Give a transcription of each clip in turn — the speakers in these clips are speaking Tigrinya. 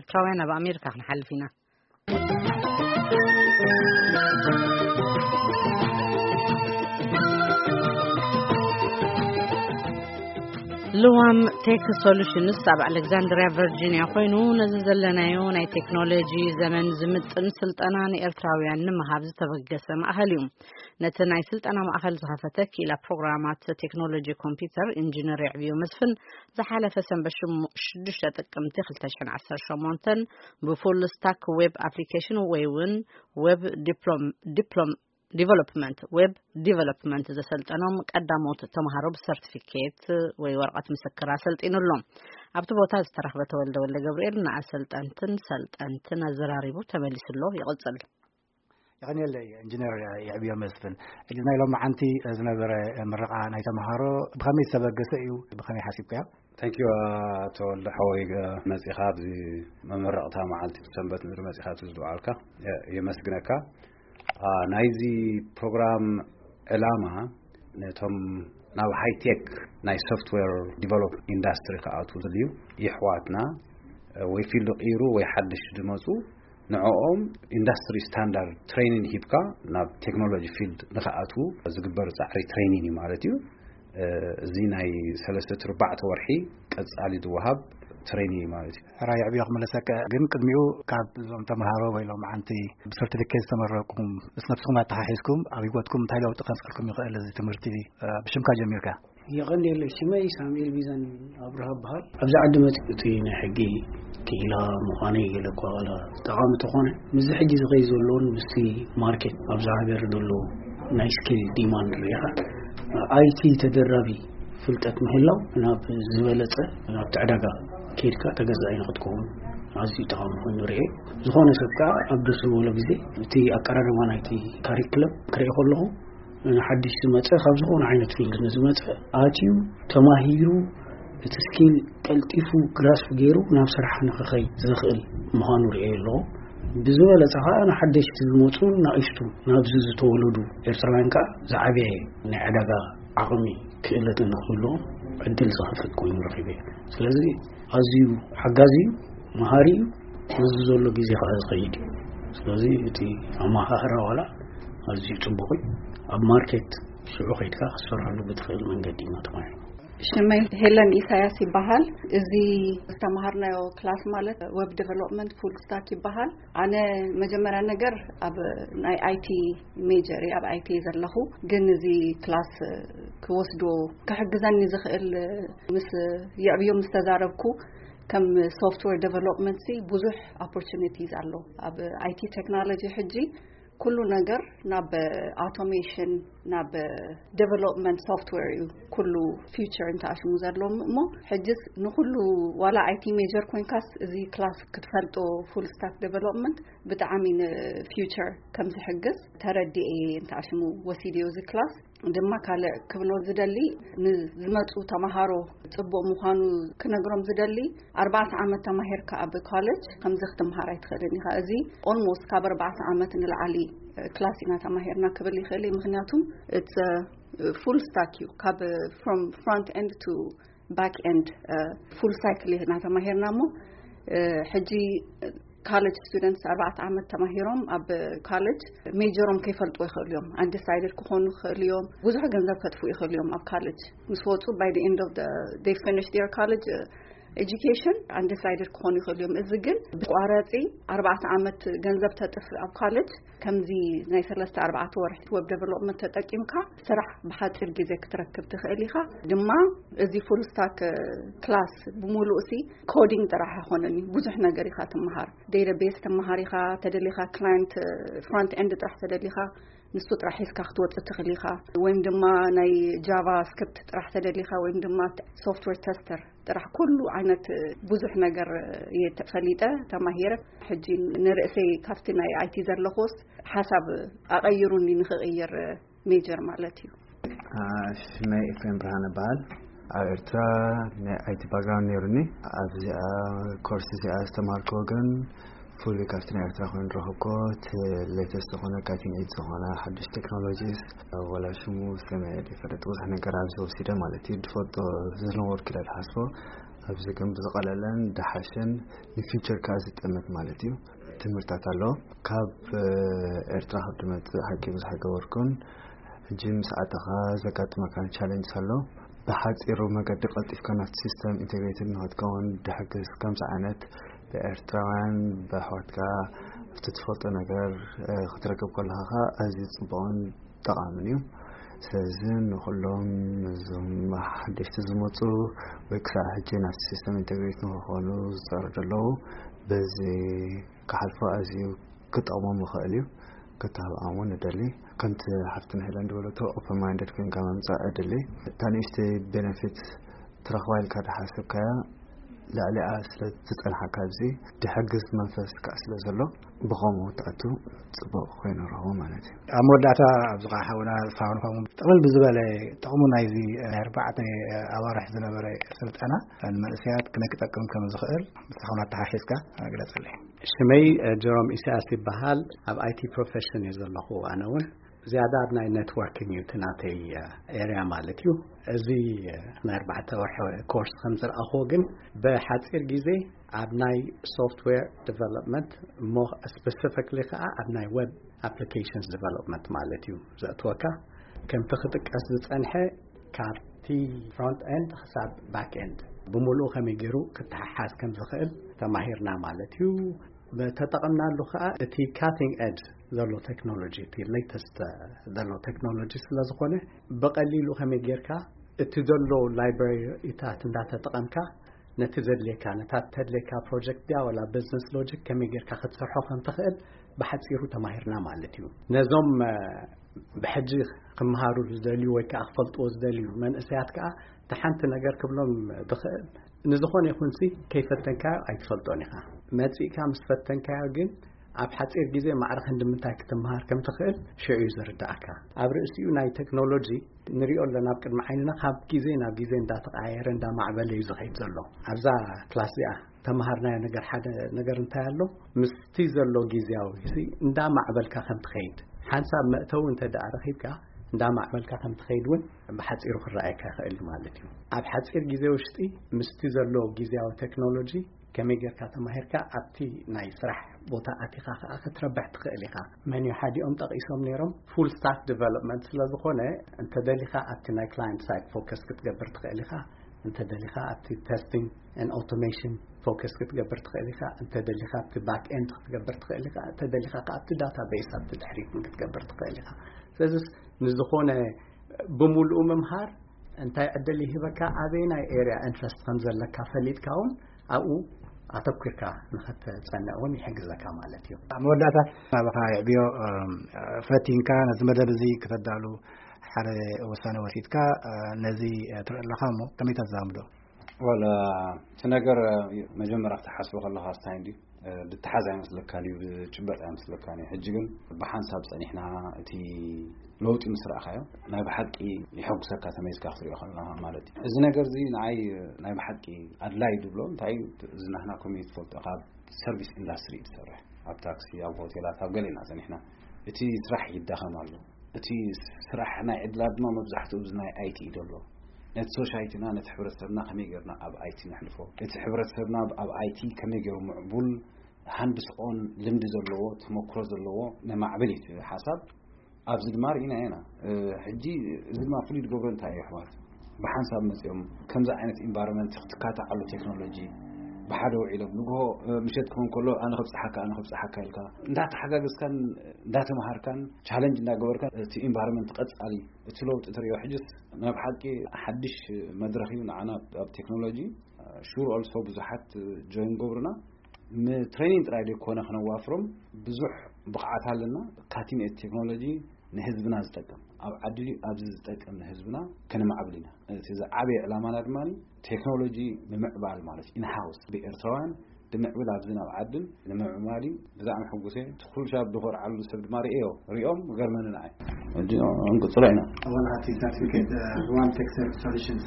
ኤርትራውያን ኣብ ኣሜሪካ ክንሓልፍ ኢና። ልዋም ቴክ ሶሉሽንስ ኣብ ኣሌክዛንድሪያ ቨርጂኒያ ኮይኑ፣ ነዚ ዘለናዮ ናይ ቴክኖሎጂ ዘመን ዝምጥን ስልጠና ንኤርትራውያን ንምሃብ ዝተበገሰ ማእኸል እዩ። ነቲ ናይ ስልጠና ማእኸል ዝኸፈተ ክኢላ ፕሮግራማት ቴክኖሎጂ ኮምፒውተር ኢንጂነር የዕብዮ መስፍን፣ ዝሓለፈ ሰንበት ሽሙ-፣ ሽዱሽተ ጥቅምቲ ክልተ ሽሕን ዓሰርተ ሸሞንተን ብፉል ስታክ ዌብ ኣፕሊኬሽን ወይ እውን ዌብ ዲፕሎም-፣ ዲፕሎም-፣ ዲቨሎፕመንት፣ ዌብ ዲቨሎፕመንት ዘሰልጠኖም ቀዳሞት ተምሃሮ ብሰርቲፊኬት ወይ ወረቐት ምስክር ኣሰልጢኑ ኣሎ። ኣብቲ ቦታ ዝተረኽበ ተወልደ ወልደ ገብርኤል ንኣሰልጠንትን ሰልጠንትን ኣዘራሪቡ ተመሊሱ ኣሎ። ይቕጽል። የቐንየለይ ኢንጂነር የዕብዮ መስፍን። እዚ ናይ ሎማዓንቲ ዝነበረ ምረቓ ናይ ተምሃሮ ብኸመይ ዝተበገሰ እዩ? ብኸመይ ሓሲብካዮ? ታንኪዩ። ተወልደ ሓወይ፣ መጺኻ ኣብዚ መመረቕታ መዓልቲ ሰንበት ምድሪ መጺኻ ኣብዚ ዝወዓልካ፣ የ-፣ የመስግነካ። አ፣ ናይዚ ፕሮግራም ዕላማ ነቶም ናብ ሃይቴክ ናይ ሶፍትዌር ዲቨሎፕ ኢንዳስትሪ ክኣትዉ ዝደልዩ ይሕዋትና፣ እ፣ ወይ ፊልድ ቀይሩ ወይ ሓድሽ ዝመጹ፣ ንዕኦም ኢንዳስትሪ ስታንዳርድ ትሬኒንግ ሂብካ ናብ ቴክኖሎጂ ፊልድ ንኽኣትዉ ዝግበር ጻዕሪ ትሬኒንግ እዩ ማለት እዩ። እ፣ እዚ ናይ ሰለስተ ኣርባዕተ ወርሒ ቀጻሊ ዝወሃብ ትሬኒንግ እዩ ማለት እዩ። ሕራይ የዕብዮ ክመለሰካ፣ ግን ቅድሚኡ ካብ እዞም ተምሃሮ ወይ ሎም ዓንቲ ብሰርቲፊኬት ዝተመረቅኩም ምስ ነብስኹም ኣተሓሒዝኩም ኣብ ህይወትኩም እንታይ ለውጢ ከምፅልኩም ይኽእል እዚ ትምህርቲ፣ እ፣ ብሽምካ ጀሚርካ? የቐንየለይ፣ ሽመይ ሳሙኤል ቢዘን ኣብርሃ እበሃል። ኣብዚ ዓዲ መፂኡ እቲ ናይ ሕጊ ክኢላ ምዃነይ ገለ እኳ ዋላ ጠቓሚ ተኾነ፣ ምስዚ ሕጂ ዝኸይ ዘለዎን ምስቲ ማርኬት ኣብዛ ሃገር ዘሎ ናይ ስኪል ዲማንድ ሪኢኻ፣ ኣይቲ ተደራቢ ፍልጠት ምህላው ናብ ዝበለጸ፣ ናብቲ ዕዳጋ ከይድካ ተገዛኢ ንኽትከውን ኣዝዩ ጠቓሚ ኮይኑ ርኤ። ዝኾነ ሰብ ከኣ ኣብ ደስ ዝበሎ ግዜ እቲ ኣቀራርባ ናይቲ ካሪክለም ክርኢ ከለኹ፣ ንሓድሽ ዝመጸ፣ ካብ ዝኾነ ዓይነት ፊልድ ንዝመጸ ኣትዩ ተማሂሩ፣ እቲ ስኪል ቀልጢፉ ግራስፕ ገይሩ ናብ ስራሕ ንኽኸይድ ዘኽእል ምዃኑ ርእየ ኣለኹ። ብዝበለጸ ኸኣ ንሓደሽቲ ዝመጹ ናእሽቱ ናብዚ ዝተወለዱ ኤርትራውያን ከኣ ዝዓበየ ናይ ዕዳጋ ዓቕሚ ክእለትን ንኽህልዎም ዕድል ዝኸፍት ኮይኑ ረኺበ። ስለዚ ኣዝዩ ሓጋዚ እዩ፣ መሃሪ እዩ፣ ምስዚ ዘሎ ግዜ ኸኣ ዝኸይድ እዩ። ስለዚ እቲ ኣመሃህራ ዋላ ኣዝዩ ጽቡቕ እዩ። ኣብ ማርኬት ሽዑ ኸይድካ ክትሰርሐሉ ብትኽእል መንገዲ ኢና ተማሂርና። ሽመይ ሄለን ኢሳያስ ይበሃል። እዚ ዝተምሃርናዮ ክላስ ማለት ዌብ ዴቨሎፕመንት ፉል ስታክ ይበሃል። ኣነ መጀመርያ ነገር ኣብ ናይ ኣይቲ ሜጀር እየ፣ ኣብ ኣይቲ እየ ዘለኹ። ግን እዚ ክላስ ክወስዶ ክሕግዘኒ ዝኽእል ምስ የዕብዮ ምስ ተዛረብኩ፣ ከም ሶፍትዌር ዴቨሎፕመንት ሲ ብዙሕ ኦፖርቹኒቲስ ኣሎ ኣብ ኣይቲ ቴክኖሎጂ። ሕጂ ኩሉ ነገር ናብ ኣውቶሜሽን፣ ናብ ዴቨሎፕመንት ሶፍትዌር እዩ ኩሉ ፊውቸር እንተኣሽሙ ዘለዎም እሞ፣ ሕጅስ ንኩሉ ዋላ ኣይቲ ሜጀር ኮይንካስ እዚ ክላስ ክትፈልጦ ፉል ስታክ ዴቨሎፕመንት ብጣዕሚ ንፊውቸር ከም ዝሕግዝ ተረዲኤ እንተኣሽሙ ወሲድዮ እዚ ክላስ። ድማ ካልእ ክብሎ ዝደሊ፣ ንዝመጹ ተማሃሮ ጽቡቕ ምዃኑ ክነግሮም ዝደሊ፣ ኣርባዕተ ዓመት ተማሂርካ ኣብ ኮሌጅ ከምዚ ክትምሃር ኣይትኽእልን ኢኻ። እዚ ኦልሞስት ካብ ኣርባዕተ ዓመት ንላዕሊ ክላስ ኢና ተማሂርና ክብል ይኽእል እየ። ምኽንያቱም it's full stack እዩ፣ ካብ from front end to back end ፉል ሳይክል ኢና ተማሂርና እሞ፣ ሕጂ ካሌጅ ስቱደንትስ ኣርባዕተ ዓመት ተማሂሮም ኣብ ካሌጅ ሜጀሮም ከይፈልጡ ይኽእሉ እዮም። ኣንዲሳይድድ ክኾኑ ይኽእሉ እዮም። ብዙሕ ገንዘብ ከጥፍኡ ይኽእሉ እዮም ኣብ ካሌጅ ምስ ወፁ። By the end of the they finish their college education ኣንዲሳይድድ ክኾኑ ይኽእሉ እዮም። እዚ ግን ብቋረፂ ኣርባዕተ ዓመት ገንዘብ ተጥፍእ ኣብ ካሌጅ ከምዚ ናይ ሰለስተ ኣርባዕተ ወርሒ ዌብ ዴቨሎፕመንት ተጠቂምካ ስራሕ ብሓፂር ግዜ ክትረክብ ትኽእል ኢኻ። ድማ እዚ ፉል ስታክ ክላስ ብምሉእ ሲ ኮዲንግ ጥራሕ ኣይኮነን እዩ፣ ብዙሕ ነገር ኢኻ ትመሃር። ዴታቤስ ትመሃር ኢኻ፣ ተደሊኻ ክላይንት ፍሮንት ኤንድ ጥራሕ ተደሊኻ ንሱ ጥራሕ ሒዝካ ክትወፅእ ትኽእል ኢኻ። ወይም ድማ ናይ ጃቫ ስክሪፕት ጥራሕ ተደሊኻ ወይም ድማ ሶፍትዌር ተስተር ጥራሕ ኩሉ ዓይነት ብዙሕ ነገር እየ ፈሊጠ ተማሂረ። ሕጂ ንርእሰይ ካብቲ ናይ ኣይቲ ዘለኹስ ሓሳብ ኣቐይሩኒ ንኽቕይር ሜጀር ማለት እዩ። ሽመይ ኤፍሬም ብርሃን እበሃል። ኣብ ኤርትራ ናይ ኣይቲ ባክግራውንድ ነይሩኒ። ኣብዚኣ ኮርስ እዚኣ ዝተማሃርክዎ ግን ፉሊ ካብቲ ናይ ኤርትራ ኮይኑ ዝረኸብክዎ እቲ ሌተስት ዝኾነ ካቲንግ ኤጅ ዝኾነ ሓዱሽ ቴክኖሎጂስ፣ ወላ ሽሙ ሰሚዐ ዘይፈልጥ ብዙሕ ነገር ኣብዚ ወሲደ ማለት እዩ። ዝፈልጦ ዝነበርኩ ኢለ ዝሓስቦ ኣብዚ ግን ብዝቐለለን ድሓሽን ንፊውቸር ከኣ ዝጠመት ማለት እዩ። ትምህርታት ኣሎ። ካብ ኤርትራ ካብ ድመጽእ ሓቂ ብዙሕ ኣይገበርኩን። ሕጂ ምስ ኣተኻ ዘጋጥመካ ቻለንጅ ኣሎ። ብሓጺሩ መገዲ ቀልጢፍካ ናብቲ ሲስተም ኢንቴግሬትድ ንክትከውን ድሕግዝ ከምዚ ዓይነት ብኤርትራውያን ብኣሕዋትካ ኣብቲ ትፈልጦ ነገር ክትረክብ ከለኻ ኣዝዩ ጽቡቕን ጠቓምን እዩ። ስለዚ ንኹሎም እዞም ሓደሽቲ ዝመፁ ወይ ክሳብ ሕጂ ናብቲ ሲስተም ኢንቴግሬት ንክኾኑ ዝፀሩ ዘለዉ በዚ ክሓልፎ ኣዝዩ ክጠቕሞም ይኽእል እዩ። ክተባብዖም እውን ንደሊ። ከምቲ ሓፍትና ሄለን ዝበለቶ ኦፕን ማይንደድ ኮይንካ ምምፃእ ዕድል እዩ። እታ ንእሽተይ ቤነፊት ትረኽባ ኢልካ ዝሓሰብካያ ልዕሊኣ ስለ ዝጸንሓካ ኣብዚ ድሕግዝ መንፈስ ከዓ ስለ ዘሎ ብኸምኡ ትኣቱ ጽቡቕ ኮይኑ ረኽቦ ማለት እዩ። ኣብ መወዳእታ ኣብዚ ከዓ ሓውና ዝፋንፋሙ ጥቕልል ብዝበለ ጥቕሙ ናይዚ ናይ ኣርባዕተ ኣዋርሕ ዝነበረ ስልጠና ንመንእሰያት ክነ ክጠቅም ከም ዝኽእል ምሳኹም ኣተሓሒዝካ ግለጽለይ። ሽመይ ጀሮም ኢሳያስ ይበሃል። ኣብ ኣይቲ ፕሮፌሽን እየ ዘለኹ። ኣነ እውን ዝያዳ ኣብ ናይ ኔትወርኪንግ እዩ እቲ ናተይ ኤርያ ማለት እዩ። እዚ ናይ ኣርባዕተ ወርሒ ኮርስ ከም ዝረኣኹዎ ግን ብሓፂር ግዜ ኣብ ናይ ሶፍትዌር ዲቨሎፕመንት እሞ ስፔሲፊክሊ ከዓ ኣብ ናይ ዌብ ኣፕሊኬሽንስ ዲቨሎፕመንት ማለት እዩ ዘእትወካ። ከምቲ ክጥቀስ ዝፀንሐ ካብቲ ፍሮንት ኤንድ ክሳብ ባክ ኤንድ ብምሉኡ ከመይ ገይሩ ክተሓሓዝ ከም ዝኽእል ተማሂርና ማለት እዩ። ተጠቐምናሉ ከዓ እቲ ካቲንግ ኤጅ ዘሎ ቴክኖሎጂ፣ እቲ ሌተስት ዘሎ ቴክኖሎጂ ስለ ዝኾነ ብቐሊሉ ከመይ ጌርካ እቲ ዘሎ ላይብራሪታት እንዳተጠቐምካ ነቲ ዘድልየካ ነታ ተድልየካ ፕሮጀክት ድያ ወላ ቢዝነስ ሎጂክ ከመይ ጌርካ ክትሰርሖ ከም ትኽእል ብሓፂሩ ተማሂርና ማለት እዩ። ነዞም ብሕጂ ክመሃሩ ዝደልዩ ወይ ከዓ ክፈልጥዎ ዝደልዩ መንእሰያት ከዓ እቲ ሓንቲ ነገር ክብሎም ብኽእል ንዝኾነ ይኹንሲ ከይፈተንካዮ ኣይትፈልጦን ኢኻ። መፂእካ ምስ ፈተንካዮ ግን ኣብ ሓፂር ግዜ ማዕረ ክንዲ ምንታይ ክትመሃር ከም ትኽእል ሽዑ እዩ ዝርዳእካ። ኣብ ርእሲኡ ናይ ቴክኖሎጂ ንሪኦ ኣለና ኣብ ቅድሚ ዓይንና ካብ ግዜ ናብ ግዜ እንዳተቐያየረ እንዳማዕበለ እዩ ዝኸይድ ዘሎ። ኣብዛ ክላስ እዚኣ ተምሃርናዮ ነገር ሓደ ነገር እንታይ ኣሎ ምስቲ ዘሎ ግዜያዊ እንዳማዕበልካ ከም ትኸይድ ሓንሳብ መእተዊ እንተ ደኣ ረኺብካ እንዳማዕበልካ ከም ትኸይድ እውን ብሓፂሩ ክረኣየካ ይኽእል ማለት እዩ። ኣብ ሓፂር ግዜ ውሽጢ ምስቲ ዘሎ ግዜያዊ ቴክኖሎጂ ከመይ ጌርካ ተማሂርካ ኣብቲ ናይ ስራሕ ቦታ ኣቲኻ ከዓ ክትረብሕ ትኽእል ኢኻ። መን እዩ ሓዲኦም ጠቒሶም ነይሮም ፉል ስታክ ዲቨሎፕመንት ስለ ዝኾነ እንተ ደሊኻ ኣብቲ ናይ ክላይንት ሳይድ ፎከስ ክትገብር ትኽእል ኢኻ። እንተ ደሊኻ ኣብቲ ቴስቲንግ ን ኦቶሜሽን ፎከስ ክትገብር ትኽእል ኢኻ። እንተ ደሊኻ ኣብቲ ባክ ኤንድ ክትገብር ትኽእል ኢኻ። እንተ ደሊኻ ከዓ ኣብቲ ዳታ ቤስ ኣብቲ ድሕሪት ክትገብር ትኽእል ኢኻ። ስለዚ ንዝኾነ ብምሉኡ ምምሃር እንታይ ዕድል ይህበካ ኣበየናይ ኤርያ ኢንትረስት ከም ዘለካ ፈሊጥካ እውን ኣብኡ ኣተኩርካ ንኸትጸንዕ እውን ይሕግዘካ ማለት እዩ። ኣብ መወዳእታ ናባኻ የዕብዮ። ፈቲንካ ነዚ መደብ እዚ ክተዳሉ ሓደ ውሳነ ወሲድካ ነዚ ትርኢ ኣለኻ እሞ ከመይ ተዛምዶ? ወላ እቲ ነገር መጀመርያ ክትሓስቦ ከለኻ ስታይ እንድዩ ልትሓዝ ኣይመስለካን እዩ፣ ዝጭበጥ ኣይመስለካን እዩ። ሕጂ ግን ብሓንሳብ ጸኒሕና እቲ ለውጢ ምስ ረኣኻዮ ናይ ብሓቂ ይሐጉሰካ ተመይዝካ ክትሪኦ ከለኻ ማለት እዩ። እዚ ነገር እዚ ንዓይ ናይ ብሓቂ ኣድላይ ዝብሎ እንታይ እዩ፣ እዚ ናህና ኮሚኒቲ ትፈልጦ ካብ ሰርቪስ ኢንዳስትሪ እዩ ትሰርሕ፣ ኣብ ታክሲ ኣብ ሆቴላት ኣብ ገለ ኢና ጸኒሕና። እቲ ስራሕ ይዳኸም ኣሎ። እቲ ስራሕ ናይ ዕድላት ድማ መብዛሕትኡ እዚ ናይ ኣይቲ እዩ ዘሎ። ነቲ ሶሳይቲና ነቲ ሕብረተሰብና ከመይ ገርና ኣብ ኣይቲ ነሕልፎ፣ እቲ ሕብረተሰብና ኣብ ኣይቲ ከመይ ገይሩ ምዕቡል ሃንድስ ኦን ልምዲ ዘለዎ ተመክሮ ዘለዎ ነማዕብል እዩ እቲ ሓሳብ። ኣብዚ ድማ ርኢና ኢና። ሕጂ እዚ ድማ ፍሉይ ዝገብሮ እንታይ እዩ ኣሕዋት ብሓንሳብ መፅኦም ከምዚ ዓይነት ኢንቫይሮንመንት ክትካታዓሉ ቴክኖሎጂ ብሓደ ውዒሎም ንግሆ ምሸት ክኾን ከሎ ኣነ ክብፅሓካ ኣነ ክብፅሓካ ኢልካ እንዳተሓጋገዝካን እንዳተምሃርካን ቻለንጅ እንዳገበርካን እቲ ኢንቫይሮንመንት ቀፃሊ እቲ ለውጢ ትሪኦ። ሕጅስ ናይ ብሓቂ ሓድሽ መድረኽ እዩ ንዓና ኣብ ቴክኖሎጂ። ሹር ኦልሶ ብዙሓት ጆይን ገብሩና ንትሬኒንግ ጥራይ ዘይኮነ ክነዋፍሮም ብዙሕ ብቕዓት ኣለና። ካቲንግ ኤጅ ቴክኖሎጂ ንህዝብና ዝጠቅም ኣብ ዓዲ ኣብዚ ዝጠቅም ንህዝብና ከነማዕብል ኢና። እቲ ዝዓበየ ዕላማና ድማ ቴክኖሎጂ ንምዕባል ማለት ኢንሃውስ ብኤርትራውያን ንምዕብል ኣብዚ ናብ ዓድን ንምዕባል እዩ። ብዛዕሚ ሕጉሴ እቲ ኩሉ ሻብ ዝኮርዓሉ ሰብ ድማ ርእዮ ሪኦም ገርመኒ ንዓይ ሕጂ እንቅፅሎ ኢና። ኣዋላ እቲ ሰርቲፊኬት ሩዋን ቴክ ሰርቪስ ሶሉሽንስ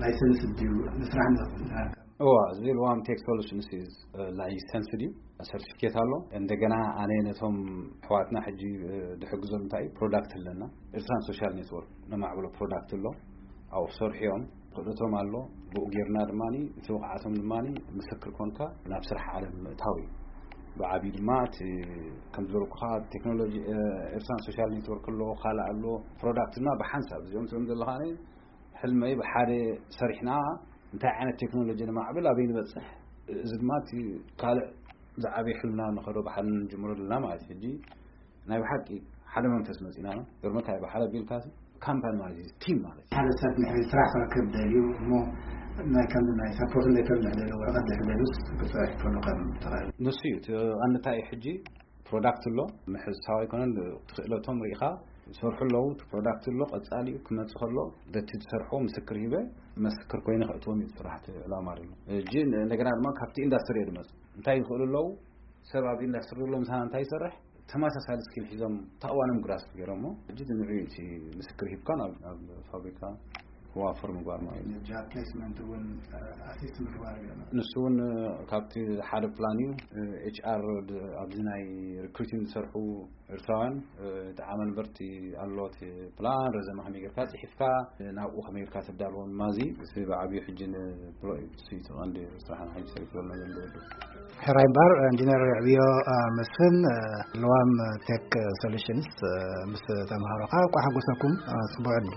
ላይሰንስ ድዩ ንስራሕ ንክትንትናል? እዋ እዚ ሉዋም ቴክ ሶሉሽንስ ላይሰንስ ድዩ ሰርቲፊኬት ኣሎ። እንደገና ኣነ ነቶም ኣሕዋትና ሕጂ ድሕግዞም እንታይ እዩ ፕሮዳክት ኣለና ኤርትራን ሶሻል ኔትወርክ ነማዕብሎ ፕሮዳክት ኣሎ ኣብኡ ክሰርሑ እዮም። ክእለቶም ኣሎ። ብኡ ጌርና ድማ እቲ ብቕዓቶም ድማ ምስክር ኮንካ ናብ ስራሕ ዓለም ምእታው እዩ። ብዓብዩ ድማ እቲ ከም ዝበልኩኻ ቴክኖሎጂ ኤርትራን ሶሻል ኔትወርክ ኣሎ፣ ካልእ ኣሎ፣ ፕሮዳክት ድማ ብሓንሳብ እዚኦም ትብሎም ዘለኻ ሕልመይ ብሓደ ሰሪሕና እንታይ ዓይነት ቴክኖሎጂ ንማዕብል ኣበይ ንበፅሕ፣ እዚ ድማ እቲ ካልእ ዝዓበየ ሕልምና ንኸዶ ብሓደ ንጅምሮ ዘለና ማለት እዩ። ሕጂ ናይ ብሓቂ ሓደ መንፈስ መፂና ነው። ገርመካ ብሓደ ቢልካ ካምፓኒ ማለት እዩ፣ ቲም ማለት እዩ። ሓደ ሰብ ንሕሪ ስራሕ ክረክብ ደልዩ እሞ ናይ ከምዚ ናይ ሳፖርት ሌተር ድሕደሉ ወረቐት ድሕደሉስ ክፅራሕ ከሎ ከም ተኽእል ንሱ እዩ እቲ ቀንዲ እንታይ እዩ። ሕጂ ፕሮዳክት ኣሎ፣ ምሕሳው ኣይኮነን። ትኽእለቶም ርኢኻ ዝሰርሑ ኣለዉ። እቲ ፕሮዳክት ኣሎ፣ ቀፃሊ እዩ ክመፅእ ከሎ በቲ ዝሰርሖ ምስክር ሂበ መስክር ኮይኑ ከእትዎም እዩ ስራሕቲ ዕላማ ኣሎ። እጂ እንደገና ድማ ካብቲ ኢንዳስትሪ እየ ዝመፅእ። እንታይ ይኽእሉ ኣለዉ? ሰብ ኣብ ኢንዳስትሪ ዘሎ ምሳና እንታይ ይሰርሕ? ተመሳሳሊ ስኪል ሒዞም ተኣዋኖም ግራስፕ ገይሮሞ። እጂ ንዕኡ እቲ ምስክር ሂብካ ናብ ናብ ፋብሪካ ክዋፈር ምግባር ማለት እዩ። ጃብ ፕሌስመንት እውን ኣሲስት ምግባር ገይሮም። ንሱ እውን ካብቲ ሓደ ፕላን እዩ። ኤች ኣር ኣብዚ ናይ ሪክሩቲንግ ዝሰርሑ ኤርትራውያን ጠዓመ ነበርቲ ኣሎ እቲ ፕላን ረዘመ ከመይ ጌርካ ጽሒፍካ ናብኡ ከመይ ጌርካ ተዳልዎም ማዚ ብዓብዩ ሕጂ ንብሎ እዩ። እሱ እዩ እቲ ቀንዲ ስራሕና ሕጂ ሰሪሑ ዘሎ ዘሎ ወዱ። ሕራይ እምበር ኢንጂነር ዕብዮ መስፍን፣ ለዋም ቴክ ሶሉሽንስ፣ ምስ ተምሃሮኻ እንኳዕ ሓጎሰኩም። ጽቡቅ ዕድል።